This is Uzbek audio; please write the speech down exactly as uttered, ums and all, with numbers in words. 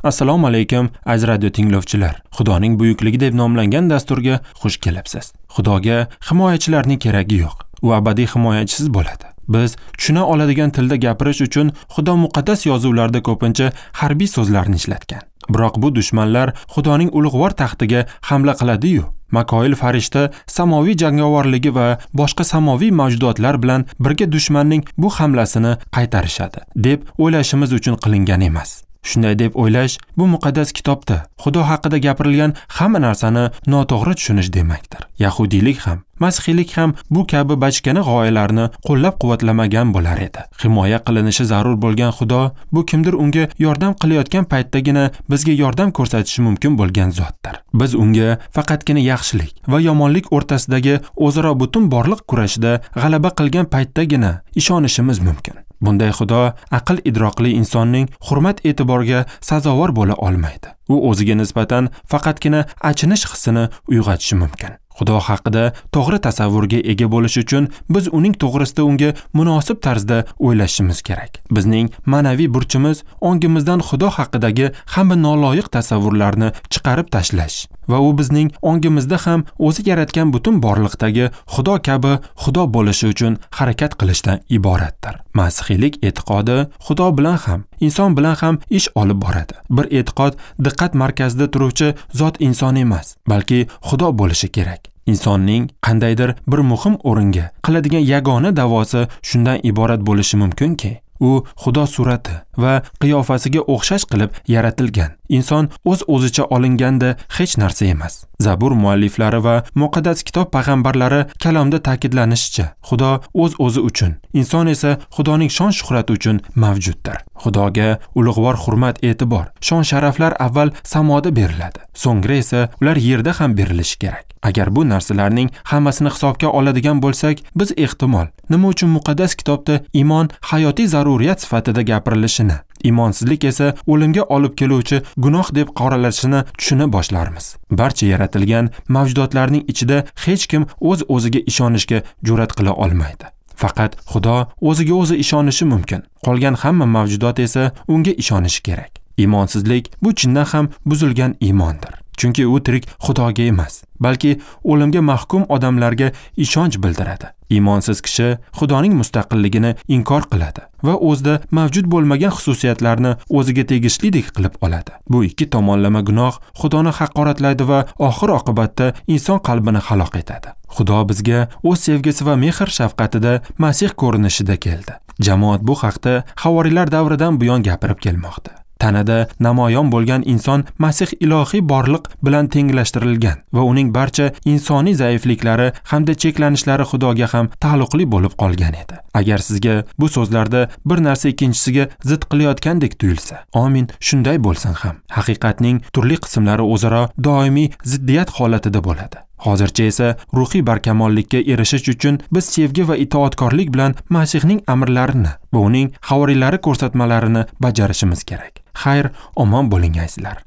Assalomu alaykum aziz radio tinglovchilar. Xudoning buyukligi deb nomlangan dasturga xush kelibsiz. Xudoga himoyachilarning keragi yo'q. U abadiy himoyachisiz bo'ladi. Biz tushuna oladigan tilda gapirish uchun Xudo muqaddas yozuvlarda ko'pincha harbiy so'zlarni ishlatgan. Biroq bu dushmanlar Xudoning ulug'vor taxtiga hamla qiladi-yu, Makoil farishta samoviy jangovarligi va boshqa samoviy mavjudotlar bilan birga dushmanning bu hamlasini qaytarishadi deb o'ylashimiz uchun qilingan emas. Shunday deb o'ylash bu muqaddas kitobda Xudo haqida gapirilgan hamma narsani noto'g'ri tushunish demakdir. Yahudiylik ham, masihiylik ham bu kabi bachkana g'oyalarni qo'llab-quvvatlamagan bo'lar edi. Himoya qilinishi zarur bo'lgan Xudo bu kimdir unga yordam qilayotgan paytdagina bizga yordam ko'rsatishi mumkin bo'lgan zotdir. Biz unga faqatgina yaxshilik va yomonlik o'rtasidagi o'zaro butun borliq kurashida g'alaba qilgan paytdagina ishonishimiz mumkin. Bunday Xudo aql idroqli insonning hurmat e'tiborga sazovor bo'la olmaydi. U o'ziga nisbatan faqatgina achinish hissini uyg'otishi mumkin. Xudo haqida to'g'ri tasavvurga ega bo'lish uchun biz uning to'g'risida unga munosib tarzda o'ylashimiz kerak. Bizning ma'naviy burchimiz ongimizdan Xudo haqidagi hamma noloyiq tasavvurlarni chiqarib tashlash va u bizning ongimizda ham o'zi yaratgan butun borliqdagi Xudo kabi Xudo bo'lishi uchun harakat qilishdan iboratdir. Masihiylik e'tiqodi Xudo bilan ham, inson bilan ham ish olib boradi. Bir e'tiqod diqqat markazida turuvchi zot inson emas, balki Xudo bo'lishi kerak. Insonning qandaydir bir muhim o'ringa qiladigan yagona da'vosi shundan iborat bo'lishi mumkinki, u Xudo surati va qiyofasiga o'xshash qilib yaratilgan. Inson o'z-o'zicha olinganda hech narsa emas. Zabur mualliflari va muqaddas kitob payg'ambarlari kalomda ta'kidlanishicha, Xudo o'z-o'zi uchun, inson esa Xudoning shon-shuhrati uchun mavjuddir. Xudoga ulug'vor hurmat, e'tibor, shon-sharaflar avval samoda beriladi, so'ngra esa ular yerda ham berilishi kerak. Agar bu narsalarning hammasini hisobga oladigan bo'lsak, biz ehtimol nima uchun muqaddas kitobda iymon hayotiy zaruriyat sifatida gapirilishini, iymonsizlik esa o'limga olib keluvchi gunoh deb qoralashini tushuna boshlarmiz. Barcha yaratilgan mavjudotlarning ichida hech kim o'z-o'ziga ishonishga jur'at qila olmaydi. Faqat Xudo o'ziga o'zi ishonishi mumkin. Qolgan hamma mavjudot esa unga ishonishi kerak. Iymonsizlik bu chindan ham buzilgan iymondir. Chunki u tirik Xudoga emas, balki o'limga mahkum odamlarga ishonch bildiradi. Iymonsiz kishi Xudoning mustaqilligini inkor qiladi va o'zida mavjud bo'lmagan xususiyatlarni o'ziga tegishlidek qilib oladi. Bu ikki tomonlama gunoh Xudoni haqoratlaydi va oxir oqibatda inson qalbini halok etadi. Xudo bizga o'z sevgisi va mehr shafqatida Masih ko'rinishida keldi. Jamoat bu haqda havoriylar davridan buyon gapirib kelmoqda. Tanada namoyon bo'lgan inson Masih ilohiy borliq bilan tenglashtirilgan va uning barcha insoniy zaifliklari hamda cheklanishlari Xudoga ham taalluqli bo'lib qolgan edi. Agar sizga bu so'zlarda bir narsa ikkinchisiga zid qilayotgandek tuyulsa, amin, shunday bo'lsin ham. Haqiqatning turli qismlari o'zaro doimiy ziddiyat holatida bo'ladi. Hozircha esa ruhiy barkamollikka erishish uchun biz sevgi va itoatkorlik bilan Masihning amrlarini va uning havoriylari ko'rsatmalarini bajarishimiz kerak. Xayr, omon bo'ling azizlar.